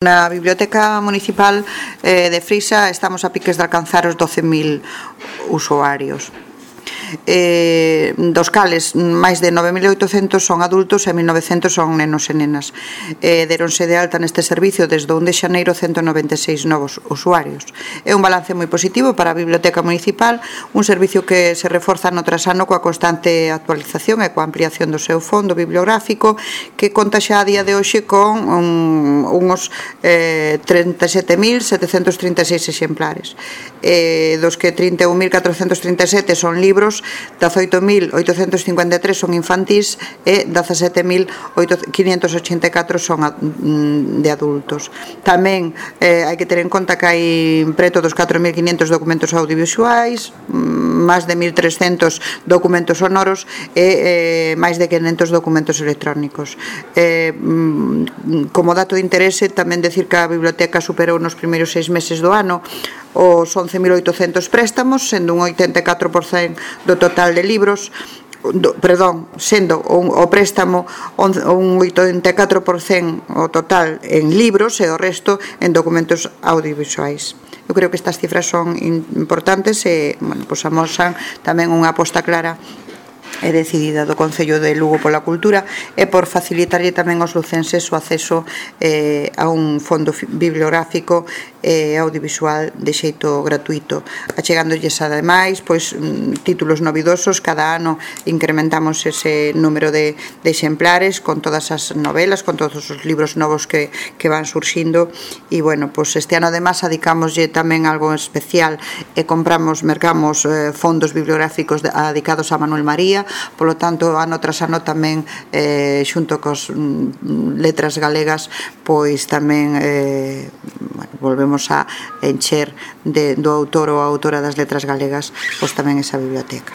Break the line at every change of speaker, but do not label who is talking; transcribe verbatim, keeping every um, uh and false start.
Na Biblioteca Municipal eh, de Frisa estamos a piques de alcanzar os doce mil usuarios, eh, dos cales máis de nove mil oitocentos son adultos e mil novecentos son nenos e nenas. Eh, deronse de alta neste servicio desde o un de xaneiro ciento noventa e seis novos usuarios. É un balance moi positivo para a Biblioteca Municipal, un servicio que se reforza ano tras ano coa constante actualización e coa ampliación do seu fondo bibliográfico, que conta xa a día de hoxe con un, unhos eh, trinta e sete mil setecentos trinta e seis exemplares, eh, dos que trinta e un mil catrocentos trinta e sete son libros, dezaoito mil oitocentos cincuenta e tres son infantís e dezasete mil quinhentos ochenta e catro son de adultos. Tamén eh, hai que ter en conta que hai preto dos catro mil quinhentos documentos audiovisuais, máis de mil trescentos documentos sonoros e eh, máis de quinhentos documentos electrónicos. Eh, como dato de interese, tamén decir que a biblioteca superou nos primeiros seis meses do ano os once mil oitocentos préstamos, sendo un oitenta e catro por cento do total de libros, do, perdón, sendo un, o préstamo un, un oitenta e catro por cento o total en libros e o resto en documentos audiovisuais. Eu creo que estas cifras son importantes e, bueno, pues amosan tamén unha aposta clara e decidida do Concello de Lugo pola cultura e por facilitarlle tamén aos lucenses o acceso eh, a un fondo bibliográfico e eh, audiovisual de xeito gratuito, achegándolles ademais pois, títulos novidosos. Cada ano incrementamos ese número de, de exemplares con todas as novelas, con todos os libros novos que, que van surxindo e, bueno, pois este ano además adicámoslle tamén algo especial e compramos, mercamos eh, fondos bibliográficos de, dedicados a Manuel María. Polo tanto, ano tras ano tamén eh, xunto cos mm, letras galegas pois tamén eh, bueno, volvemos a encher de, do autor ou a autora das letras galegas pois tamén esa biblioteca.